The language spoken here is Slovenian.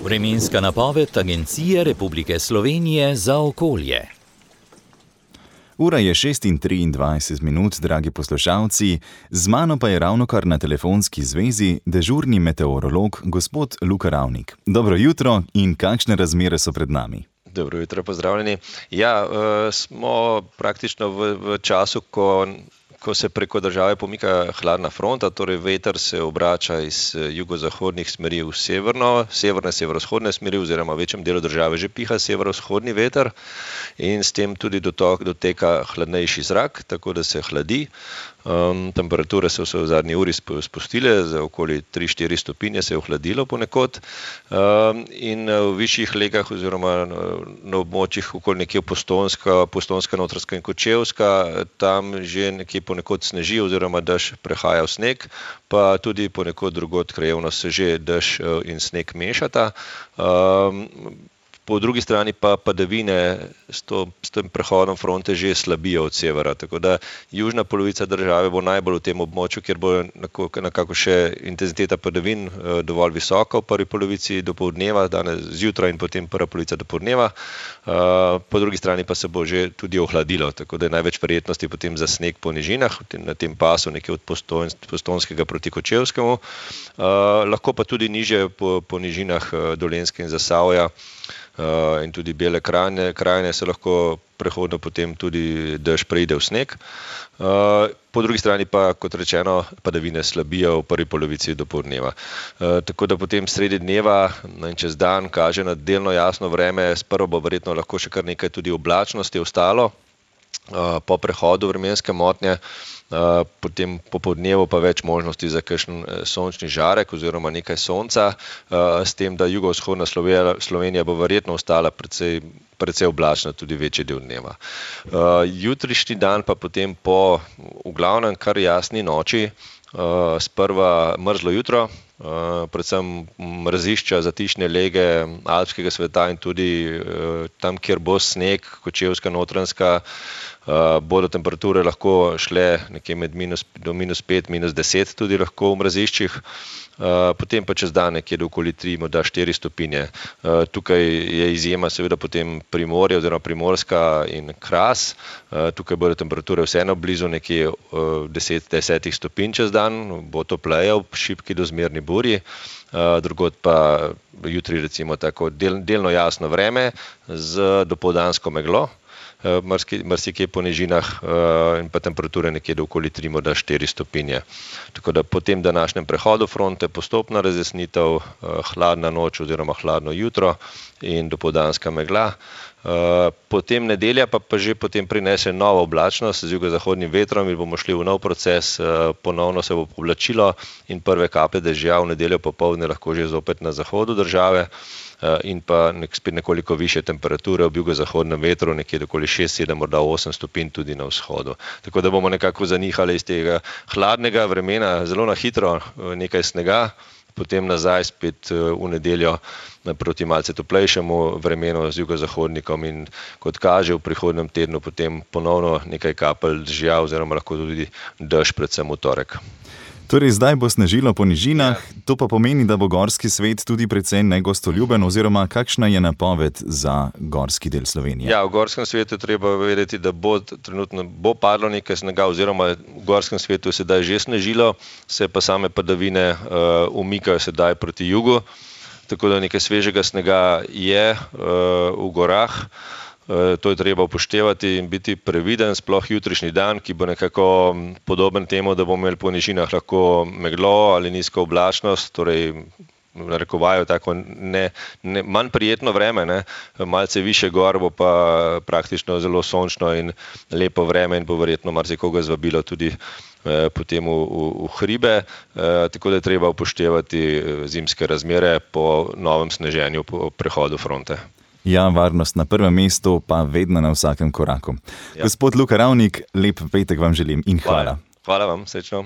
Vremenska napoved Agencije Republike Slovenije za okolje. Ura je 6:23, dragi poslušalci, z mano pa je ravnokar na telefonski zvezi dežurni meteorolog gospod Luka Ravnik. Dobro jutro in kakšne razmere so pred nami? Dobro jutro, pozdravljeni. Smo praktično v času, ko se preko države pomika hladna fronta, torej veter se obrača iz jugozahodnih smeri v severne, severovzhodne smeri oziroma v večjem delu države že piha severovzhodni veter in s tem tudi doteka hladnejši zrak, tako da se hladi. Temperature so se v zadnji uri spustile, za okoli 3-4 stopinje se je ohladilo ponekod in v višjih legah oziroma na območjih okoli nekje Postojnska, Notranjska in Kočevska, tam že nekje ponekod sneži oziroma dež prehaja v sneg, pa tudi ponekod drugod krajevno se že dež in sneg mešata. Po drugi strani pa padavine s tem prehodom fronte že slabijo od severa, tako da južna polovica države bo najbolj v tem območju, kjer bo nekako še intenziteta padavin dovolj visoka v prvi polovici dopoldneva, danes zjutraj in potem prva polovica dopoldneva. Po drugi strani pa se bo že tudi ohladilo, tako da je največ verjetnosti potem za sneg po nižinah, na tem pasu nekje od Postojnskega proti Kočevskemu, lahko pa tudi nižje po nižinah Dolenjske in Zasavja in tudi Bele krajine se lahko prehodno potem tudi dež preide v sneg. Po drugi strani pa, kot rečeno, padavine slabijo v prvi polovici dopoldneva. Tako da potem sredi dneva in čez dan kaže na delno jasno vreme, sprva bo verjetno lahko še kar nekaj tudi oblačnosti ostalo po prehodu vremenske motnje, potem popoldnevu pa več možnosti za kakšen sončni žarek oziroma nekaj sonca, s tem, da jugovzhodna Slovenija bo verjetno ostala precej oblačna tudi večji del dneva. Jutrišnji dan pa potem po v glavnem kar jasni noči, sprva mrzlo jutro, predvsem mrazišča, zatišne lege alpskega sveta in tudi tam, kjer bo sneg, Kočevska, Notranjska, bodo temperature lahko šle nekje do -5, -10 tudi lahko v mraziščih, potem pa čez dan nekje do okoli 3, morda 4 stopinje. Tukaj je izjema seveda potem Primorje oziroma Primorska in Kras, tukaj bodo temperature vseeno blizu nekje 10 stopinj čez dan, bo topleje ob šibki do zmerni burji, drugod pa jutri recimo tako delno jasno vreme z dopoldansko meglo, marsikje po nižinah in pa temperature nekje do okoli 3, morda 4 stopinje. Tako da po tem današnjem prehodu fronte postopna razjasnitev, hladna noč oziroma hladno jutro in dopoldanska megla. Potem nedelja pa že potem prinese novo oblačnost z jugozahodnim vetrom in bomo šli v nov proces, ponovno se bo oblačilo in prve kaplje dežja v nedeljo popoldne lahko že zopet na zahodu države in pa spet nekoliko višje temperature ob jugozahodnem vetru, nekje okoli 6, 7, morda 8 stopinj tudi na vzhodu. Tako da bomo nekako zanihali iz tega hladnega vremena zelo na hitro nekaj snega, potem nazaj spet v nedeljo proti malce toplejšemu vremenu z jugozahodnikom in kot kaže v prihodnjem tednu potem ponovno nekaj kapelj dežja oziroma lahko tudi dež predvsem v torek. Torej zdaj bo snežilo po nižinah, to pa pomeni, da bo gorski svet tudi precej negostoljuben oziroma kakšna je napoved za gorski del Slovenije? Ja, v gorskem svetu je treba vedeti, da trenutno bo padlo nekaj snega oziroma v gorskem svetu je sedaj že snežilo, se pa same padavine umikajo sedaj proti jugu, tako da nekaj svežega snega je v gorah. To je treba upoštevati in biti previden, sploh jutrišnji dan, ki bo nekako podoben temu, da bomo imeli po nižinah lahko meglo ali nizko oblačnost, torej narekovajo tako manj prijetno vreme, malce više gor bo pa praktično zelo sončno in lepo vreme in bo verjetno marsikoga zvabilo tudi potem v hribe, tako da je treba upoštevati zimske razmere po novem sneženju po prehodu fronte. Ja, varnost na prvem mestu, pa vedno na vsakem koraku. Ja. Gospod Luka Ravnik, lep petek vam želim in hvala. Hvala vam, srečno.